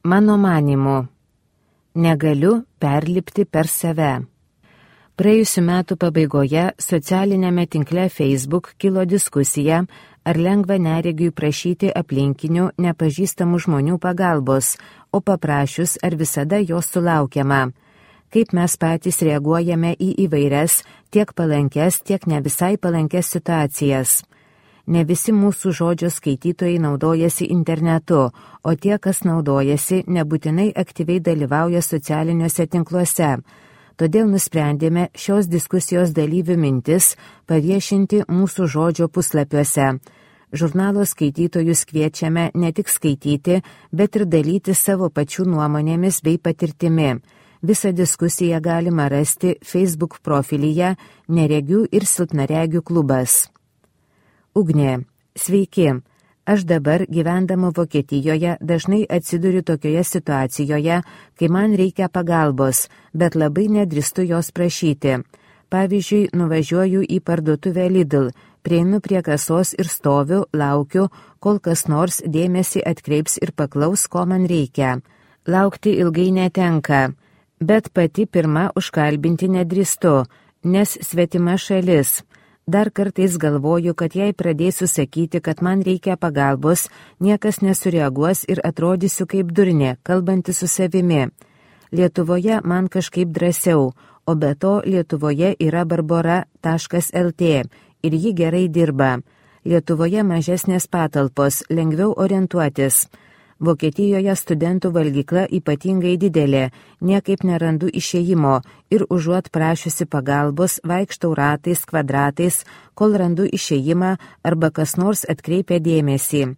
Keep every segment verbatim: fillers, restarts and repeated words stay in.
Mano manymu, negaliu perlipti per save. Praėjusiu metu pabaigoje socialinėme tinkle Facebook kilo diskusija, ar lengva neregiui prašyti aplinkinių nepažįstamų žmonių pagalbos, o paprašius, ar visada jos sulaukiama. Kaip mes patys reaguojame į įvairias, tiek palankes, tiek ne visai palankes situacijas. Ne visi mūsų žodžio skaitytojai naudojasi internetu, o tie, kas naudojasi, nebūtinai aktyviai dalyvauja socialiniuose tinkluose. Todėl nusprendėme šios diskusijos dalyvių mintis paviešinti mūsų žodžio puslapiuose. Žurnalo skaitytojus kviečiame ne tik skaityti, bet ir dalyti savo pačių nuomonėmis bei patirtimi. Visą diskusiją galima rasti Facebook profilyje Neregių ir silpnaregių klubas. Ugnė, sveiki. Aš dabar, gyvendama Vokietijoje, dažnai atsiduriu tokioje situacijoje, kai man reikia pagalbos, bet labai nedrįstu jos prašyti. Pavyzdžiui, nuvažiuoju į parduotuvę Lidl, prieinu prie kasos ir stoviu, laukiu, kol kas nors dėmesį atkreips ir paklaus, ko man reikia. Laukti ilgai netenka, bet pati pirma užkalbinti nedrįstu, nes svetima šalis. Dar kartais galvoju, kad jei pradėsiu sakyti, kad man reikia pagalbos, niekas nesureaguos ir atrodysiu kaip durnė, kalbanti su savimi. Lietuvoje man kažkaip drąsiau, o be to Lietuvoje yra barbora taškas el tė ir ji gerai dirba. Lietuvoje mažesnės patalpos, lengviau orientuotis. Vokietijoje studentų valgykla ypatingai didelė, niekaip nerandu išėjimo ir užuot prašiusi pagalbos, vaikštau ratais, kvadratais, kol randu išėjimą arba kas nors atkreipia dėmesį.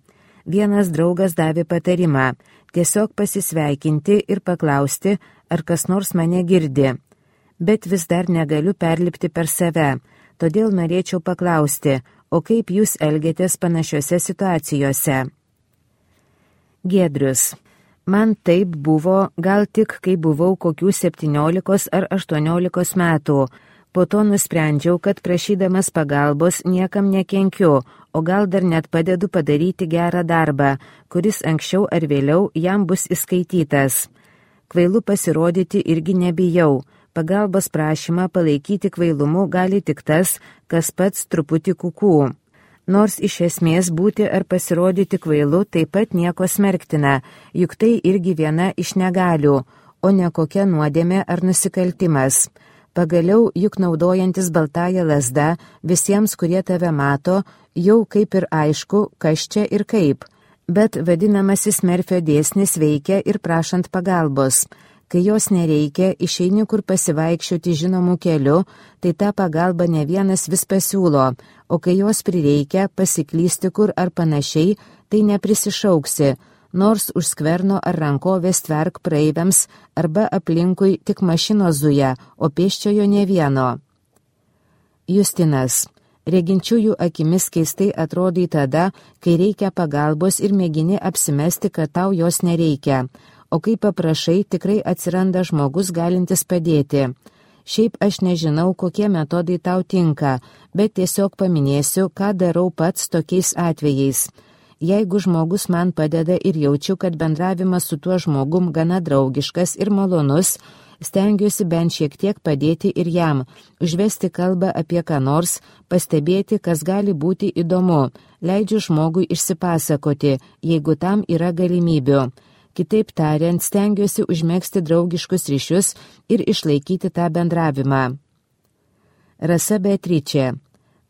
Vienas draugas davė patarimą – tiesiog pasisveikinti ir paklausti, ar kas nors mane girdi. Bet vis dar negaliu perlipti per save, todėl norėčiau paklausti, o kaip jūs elgiatės panašiose situacijose? Giedrius. Man taip buvo, gal tik kai buvau kokių septyniolikos ar aštuoniolikos metų. Po to nusprendžiau, kad prašydamas pagalbos niekam nekenkiu, o gal dar net padedu padaryti gerą darbą, kuris anksčiau ar vėliau jam bus įskaitytas. Kvailu pasirodyti irgi nebijau. Pagalbos prašymą palaikyti kvailumu gali tik tas, kas pats truputį kukų. Nors iš esmės būti ar pasirodyti kvailu taip pat nieko smerktina, juk tai irgi viena iš negalių, o ne kokia nuodėmė ar nusikaltimas. Pagaliau, juk naudojantis baltąją lazdą, visiems, kurie tave mato, jau kaip ir aišku, kas čia ir kaip. Bet vadinamasis Merfio dėsnis veikia ir prašant pagalbos. Kai jos nereikia, išeini kur pasivaikščioti žinomų keliu, tai tą pagalbą ne vienas vis pasiūlo, o kai jos prireikia pasiklysti kur ar panašiai, tai neprisišauksi, nors už skverno ar rankovės tverk praeiviams arba aplinkui tik mašinos zuja, o pėsčiojo ne vieno. Justinas. Reginčiųjų akimis keistai atrodai tada, kai reikia pagalbos ir mėgini apsimesti, kad tau jos nereikia. O kai paprašai, tikrai atsiranda žmogus galintis padėti. Šiaip aš nežinau, kokie metodai tau tinka, bet tiesiog paminėsiu, ką darau pats tokiais atvejais. Jeigu žmogus man padeda ir jaučiu, kad bendravimas su tuo žmogum gana draugiškas ir malonus, stengiuosi bent šiek tiek padėti ir jam, užvesti kalbą apie ką nors, pastebėti, kas gali būti įdomu, leidžiu žmogui išsipasakoti, jeigu tam yra galimybių. Kitaip tariant, stengiuosi užmegzti draugiškus ryšius ir išlaikyti tą bendravimą. Rasa Beatričė.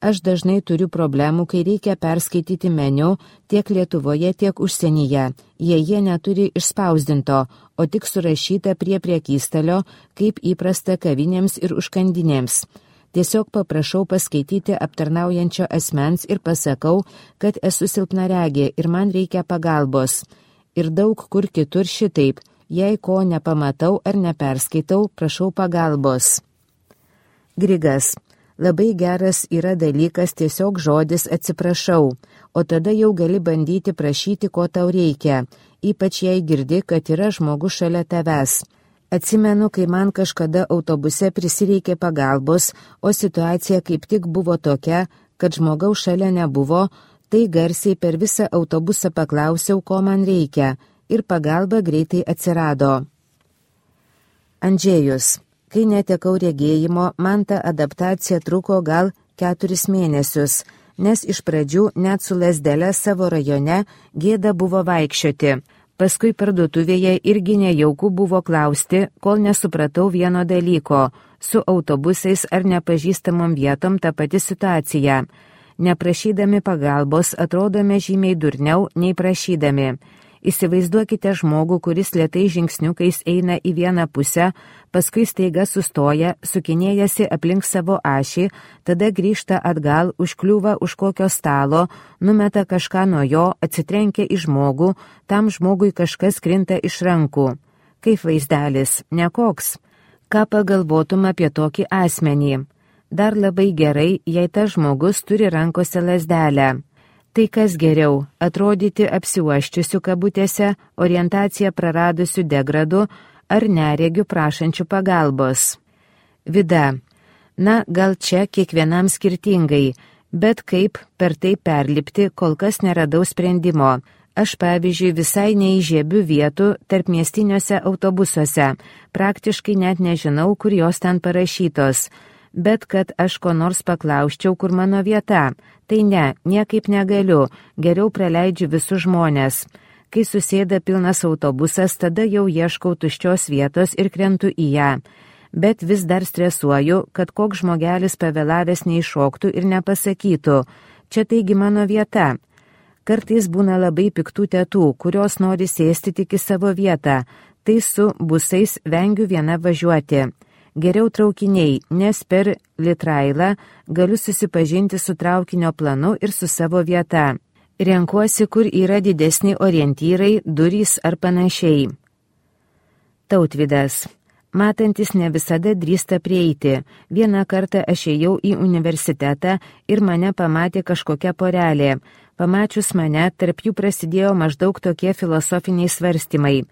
Aš dažnai turiu problemų, kai reikia perskaityti meniu tiek Lietuvoje, tiek užsienyje. Jie jie neturi išspausdinto, o tik surašyta prie priekystalio, kaip įprasta kavinėms ir užkandinėms. Tiesiog paprašau paskaityti aptarnaujančio asmens ir pasakau, kad esu silpnaregė ir man reikia pagalbos. Ir daug kur kitur šitaip, jei ko nepamatau ar neperskaitau, prašau pagalbos. Grigas. Labai geras yra dalykas tiesiog žodis atsiprašau, o tada jau gali bandyti prašyti, ko tau reikia, ypač jei girdi, kad yra žmogus šalia tavęs. Atsimenu, kai man kažkada autobuse prisireikė pagalbos, o situacija kaip tik buvo tokia, kad žmogaus šalia nebuvo, tai garsiai per visą autobusą paklausiau, ko man reikia. ir pagalba greitai atsirado. Andžėjus. Kai netekau regėjimo, man ta adaptacija truko gal keturis mėnesius, nes iš pradžių net su lasdele savo rajone gėda buvo vaikščioti. Paskui parduotuvėje irgi nejauku buvo klausti, kol nesupratau vieno dalyko. Su autobusais ar nepažįstamom vietom ta pati situacija. Neprašydami pagalbos atrodome žymiai durniau nei prašydami. Įsivaizduokite žmogų, kuris lėtai žingsniukais eina į vieną pusę, paskui staiga sustoja, sukinėjasi aplink savo ašį, tada grįžta atgal, užkliūva už kokio stalo, numeta kažką nuo jo, atsitrenkia į žmogų, tam žmogui kažkas krinta iš rankų. Kaip vaizdelis, nekoks. Ką pagalvotum apie tokį asmenį? Dar labai gerai, jei tas žmogus turi rankose lazdelę. Tai kas geriau, atrodyti apsiuoščiusių kabutėse, orientaciją praradusių degradų ar neregių prašančių pagalbos. Vida. Na, gal čia kiekvienam skirtingai, bet kaip per tai perlipti, kol kas neradau sprendimo. Aš, pavyzdžiui, visai neįžiebiu vietų tarp miestiniuose autobusuose, praktiškai net nežinau, kur jos ten parašytos. Bet kad aš ko nors paklausčiau, kur mano vieta. Tai ne, niekaip negaliu, geriau praleidžiu visus žmonės. Kai susėda pilnas autobusas, tada jau ieškau tuščios vietos ir krentu į ją. Bet vis dar stresuoju, kad koks žmogelis pavėlavęs neiššoktų ir nepasakytų, čia taigi mano vieta. Kartais būna labai piktų tetų, kurios nori sėsti tik į savo vietą, tai su busais vengiu viena važiuoti. Geriau traukiniai, nes per Litrailą galiu susipažinti su traukinio planu ir su savo vieta. Renkuosi, kur yra didesni orientyrai, durys ar panašiai. Tautvydas. Matantis ne visada drįsta prieiti. Vieną kartą aš ėjau į universitetą ir mane pamatė kažkokia porelė. Pamačius mane, tarp jų prasidėjo maždaug tokie filosofiniai svarstymai.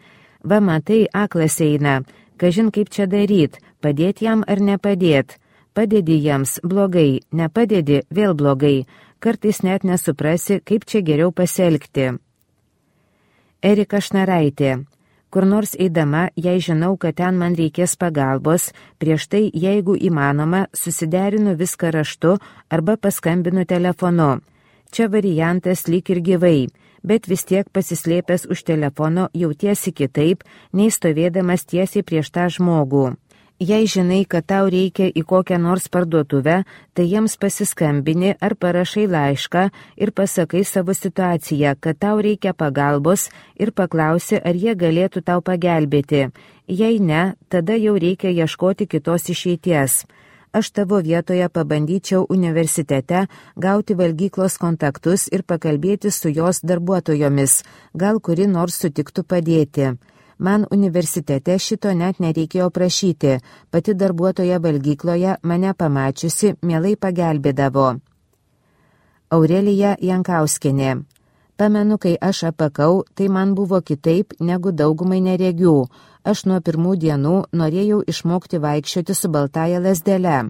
Va matai, aklas eina. Kažin kaip čia daryt, padėti jam ar nepadėt. Padedi jiems, blogai, nepadedi, vėl blogai. Kartais net nesuprasi, kaip čia geriau pasielgti. Erika Šnaraitė. Kur nors eidama, jei žinau, kad ten man reikės pagalbos, prieš tai, jeigu įmanoma, susiderinu viską raštu arba paskambinu telefonu. Čia variantas lyg ir gyvai, bet vis tiek pasislėpęs už telefono jautiesi kitaip, nei stovėdamas tiesiai prieš tą žmogų. Jei žinai, kad tau reikia į kokią nors parduotuvę, tai jiems pasiskambini ar parašai laišką ir pasakai savo situaciją, kad tau reikia pagalbos ir paklausi, ar jie galėtų tau pagelbėti. Jei ne, tada jau reikia ieškoti kitos išeities. Aš tavo vietoje pabandyčiau universitete gauti valgyklos kontaktus ir pakalbėti su jos darbuotojomis, gal kuri nors sutiktų padėti. Man universitete šito net nereikėjo prašyti, pati darbuotoja valgykloje mane pamačiusi mielai pagelbėdavo. Aurelija Jankauskienė. Pamenu, kai aš apakau, tai man buvo kitaip negu daugumai neregių. Aš nuo pirmų dienų norėjau išmokti vaikščioti su baltaja lazdele.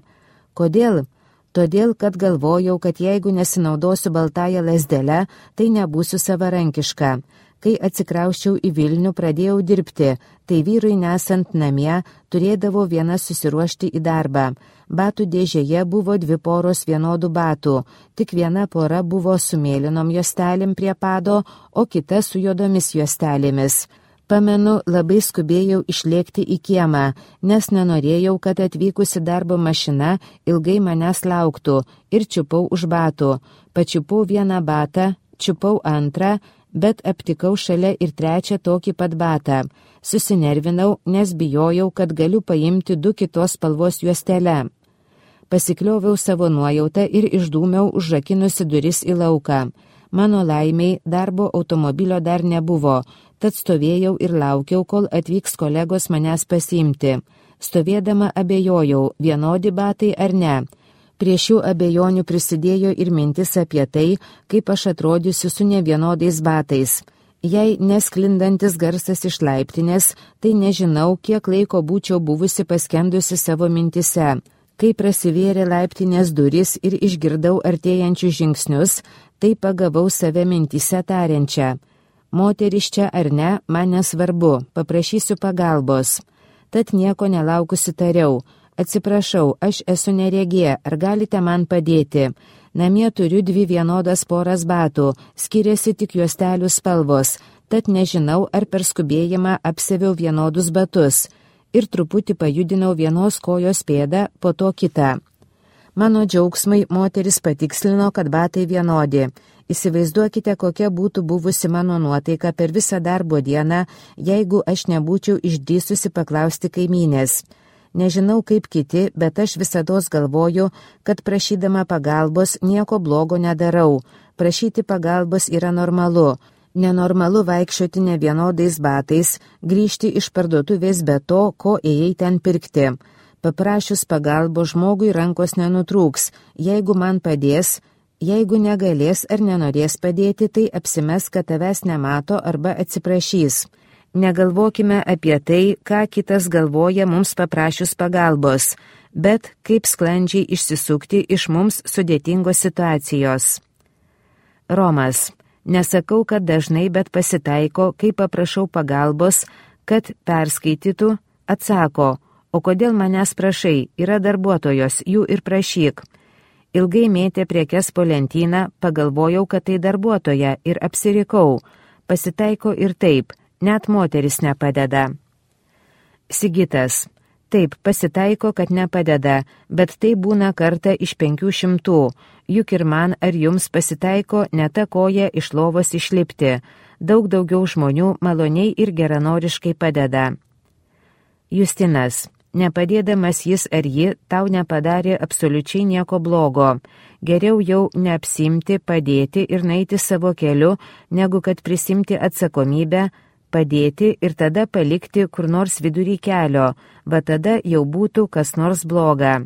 Kodėl? Todėl, kad galvojau, kad jeigu nesinaudosiu baltaja lazdele, tai nebūsiu savarankiška. Kai atsikrausčiau į Vilnių, pradėjau dirbti, tai vyrui nesant namie turėdavau viena susiruošti į darbą. Batų dėžėje buvo dvi poros vienodų batų, tik viena pora buvo su mėlynom juostelėm prie pado, o kita su juodomis juostelėmis. Pamenu, labai skubėjau išlėkti į kiemą, nes nenorėjau, kad atvykusi darbo mašina ilgai manęs lauktų ir čiupau už batų. Pačiupau vieną batą, čiupau antrą, bet aptikau šalia ir trečią tokį pat batą. Susinervinau, nes bijojau, kad galiu paimti du kitos spalvos juostelę. Pasiklioviau savo nuojautą ir išdūmiau užrakinusi duris į lauką. Mano laimiai darbo automobilio dar nebuvo, tad stovėjau ir laukiau, kol atvyks kolegos manęs pasiimti. Stovėdama abejojau, vienodi batai ar ne. Prie šių abejonių prisidėjo ir mintis apie tai, kaip aš atrodysiu su nevienodais batais. Jei nesklindantis garsas iš laiptinės, tai nežinau, kiek laiko būčiau buvusi paskendusi savo mintise. Kai prasivėrė laiptinės duris ir išgirdau artėjančius žingsnius, tai pagavau save mintise tariančią. Moteris čia ar ne, man nesvarbu, paprašysiu pagalbos. Tad nieko nelaukusi tariau. Atsiprašau, aš esu neregė, ar galite man padėti? Namie turiu dvi vienodas poras batų, skiriasi tik juostelių spalvos, tad nežinau, ar per skubėjimą apseviau vienodus batus. Ir truputį pajudinau vienos kojos pėdą, po to kitą. Mano džiaugsmai moteris patikslino, kad batai vienodi. Įsivaizduokite, kokia būtų buvusi mano nuotaika per visą darbo dieną, jeigu aš nebūčiau išdrįsusi paklausti kaimynės. Nežinau kaip kiti, bet aš visados galvoju, kad prašydama pagalbos nieko blogo nedarau. Prašyti pagalbos yra normalu. Nenormalu vaikščioti nevienodais batais, grįžti iš parduotuvės be to, ko ėjai ten pirkti. Paprašius pagalbos žmogui rankos nenutrūks. Jeigu man padės, jeigu negalės ar nenorės padėti, tai apsimes, kad tavęs nemato arba atsiprašys. Negalvokime apie tai, ką kitas galvoja mums paprašius pagalbos, bet kaip sklandžiai išsisukti iš mums sudėtingos situacijos. Romas. Nesakau, kad dažnai, bet pasitaiko, kai paprašau pagalbos, kad perskaitytų, atsako, o kodėl manęs prašai, yra darbuotojos, jų ir prašyk. Ilgai mėtė prekes po lentyną, pagalvojau, kad tai darbuotoja ir apsirikau. Pasitaiko ir taip, net moteris nepadeda. Sigitas. Taip, pasitaiko, kad nepadeda, bet tai būna kartą iš penkių šimtų. Juk ir man ar jums pasitaiko ne ta koja iš lovos išlipti. Daug daugiau žmonių maloniai ir geranoriškai padeda. Justinas. Nepadėdamas jis ar ji tau nepadarė absoliučiai nieko blogo. Geriau jau neapsimti, padėti ir naiti savo keliu, negu kad prisimti atsakomybę, padėti ir tada palikti kur nors vidury kelio, va tada jau būtų kas nors bloga.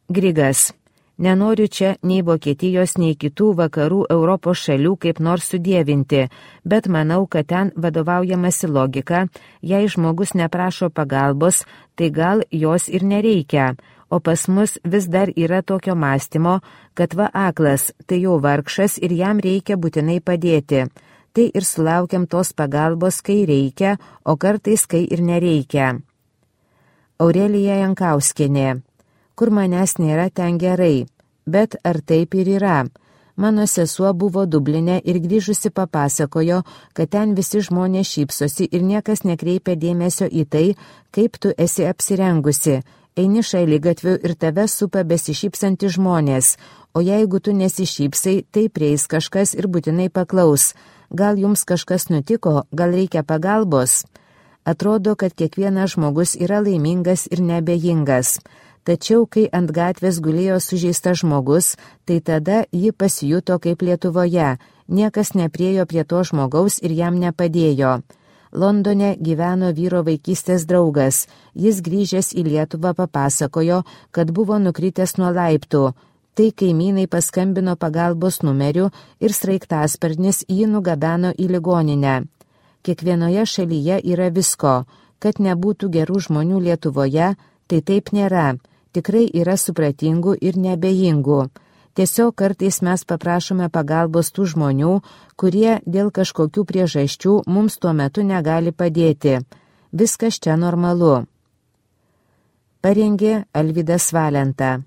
Grigas. Nenoriu čia nei Vokietijos, nei kitų vakarų Europos šalių kaip nors sudievinti, bet manau, kad ten vadovaujamasi logika, jei žmogus neprašo pagalbos, tai gal jos ir nereikia, o pas mus vis dar yra tokio mąstymo, kad va aklas, tai jau vargšas ir jam reikia būtinai padėti. Tai ir sulaukiam tos pagalbos, kai reikia, o kartais, kai ir nereikia. Aurelija Jankauskienė. Kur manęs nėra, ten gerai. Bet ar taip ir yra? Mano sesuo buvo Dubline ir grįžusi papasakojo, kad ten visi žmonės šypsosi ir niekas nekreipia dėmesio į tai, kaip tu esi apsirengusi. Eini šaligatviu ir tave supa besišypsanti žmonės, o jeigu tu nesišypsai, tai prieis kažkas ir būtinai paklaus. Gal jums kažkas nutiko, gal reikia pagalbos? Atrodo, kad kiekvienas žmogus yra laimingas ir neabejingas. Tačiau, kai ant gatvės gulėjo sužeistas žmogus, tai tada ji pasijuto kaip Lietuvoje. Niekas nepriejo prie to žmogaus ir jam nepadėjo. Londone gyveno vyro vaikystės draugas. Jis grįžęs į Lietuvą papasakojo, kad buvo nukritęs nuo laiptų. Tai kaimynai paskambino pagalbos numeriu ir sraigtasparnis jį nugabeno į ligoninę. Kiekvienoje šalyje yra visko. Kad nebūtų gerų žmonių Lietuvoje, tai taip nėra. Tikrai yra supratingų ir neabejingų. Tiesiog kartais mes paprašome pagalbos tų žmonių, kurie dėl kažkokių priežasčių mums tuo metu negali padėti. Viskas čia normalu. Parengė Alvydas Valenta.